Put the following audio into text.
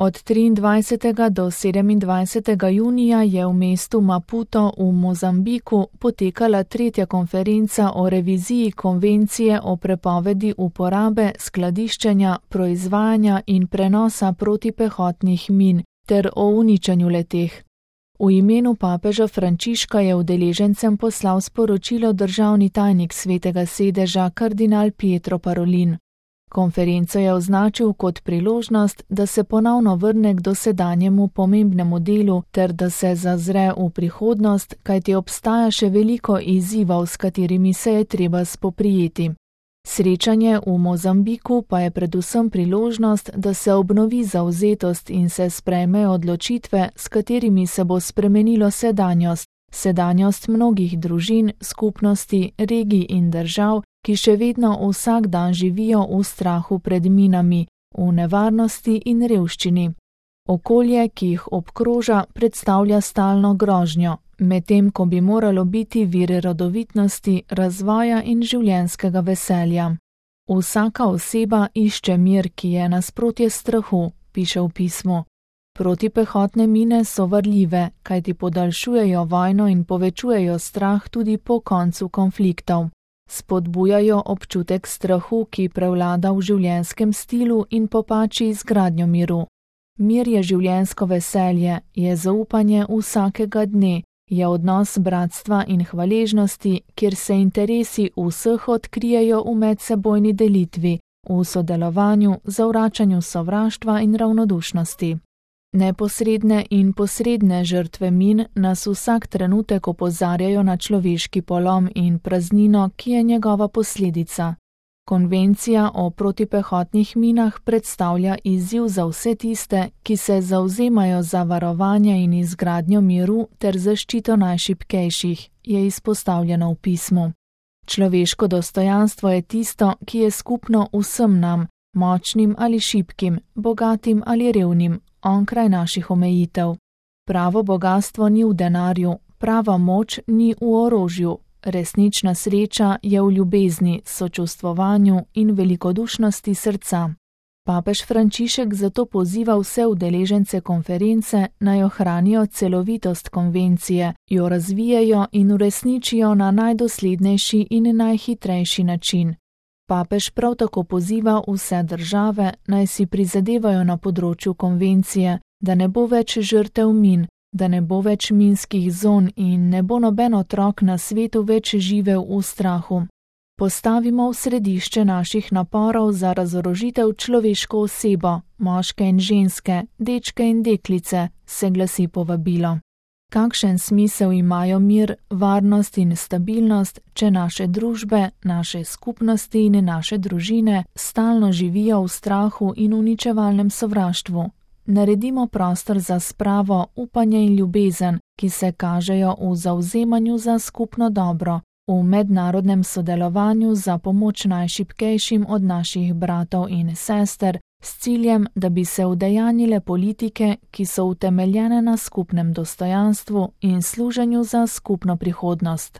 Od 23. do 27. junija je v mestu Maputo v Mozambiku potekala 3. konferenca o reviziji konvencije o prepovedi uporabe, skladiščenja, proizvajanja in prenosa protipehotnih min ter o uničenju leteh. V imenu papeža Frančiška je udeležencem poslal sporočilo državni tajnik Svetega sedeža kardinal Pietro Parolin. Konferenco je označil kot priložnost, da se ponovno vrne k dosedanjemu pomembnemu delu ter da se zazre v prihodnost, kajti obstaja še veliko izzivov, s katerimi se je treba spoprijeti. Srečanje v Mozambiku pa je predvsem priložnost, da se obnovi zavzetost in se sprejmejo odločitve, s katerimi se bo spremenilo sedanjost mnogih družin, skupnosti, regij in držav, ki še vedno vsak dan živijo v strahu pred minami, v nevarnosti in revščini. Okolje, ki jih obkroža, predstavlja stalno grožnjo, medtem ko bi moralo biti vir rodovitnosti, razvoja in življenjskega veselja. Vsaka oseba išče mir, ki je nasprotje strahu, piše v pismu. Protipehotne mine so varljive, kajti podaljšujejo vojno in povečujejo strah tudi po koncu konfliktov. Spodbujajo občutek strahu, ki prevlada v življenjskem stilu in popači izgradnjo miru. Mir je življenjsko veselje, je zaupanje vsakega dne, je odnos bratstva in hvaležnosti, kjer se interesi vseh odkrijejo v medsebojni delitvi, v sodelovanju, zavračanju sovraštva in ravnodušnosti. Neposredne in posredne žrtve min nas vsak trenutek opozarjajo na človeški polom in praznino, ki je njegova posledica. Konvencija o protipehotnih minah predstavlja izziv za vse tiste, ki se zavzemajo za varovanje in izgradnjo miru ter zaščito najšibkejših, je izpostavljeno v pismu. Človeško dostojanstvo je tisto, ki je skupno vsem nam, močnim ali šibkim, bogatim ali revnim, onkraj naših omejitev. Pravo bogastvo ni v denarju, prava moč ni v orožju. Resnična sreča je v ljubezni, sočustvovanju in velikodušnosti srca. Papež Frančišek zato poziva vse udeležence konference, naj ohranijo celovitost konvencije, jo razvijejo in uresničijo na najdoslednejši in najhitrejši način. Papež prav tako poziva vse države, naj si prizadevajo na področju konvencije, da ne bo več žrtev min, da ne bo več minskih zon in ne bo noben otrok na svetu več živel v strahu. Postavimo v središče naših naporov za razorožitev človeško osebo, moške in ženske, dečke in deklice, se glasi povabilo. Kakšen smisel imajo mir, varnost in stabilnost, če naše družbe, naše skupnosti in naše družine stalno živijo v strahu in uničevalnem sovraštvu? Naredimo prostor za spravo, upanje in ljubezen, ki se kažejo v zavzemanju za skupno dobro, v mednarodnem sodelovanju za pomoč najšibkejšim od naših bratov in sester, s ciljem, da bi se udejanjile politike, ki so utemeljene na skupnem dostojanstvu in služenju za skupno prihodnost.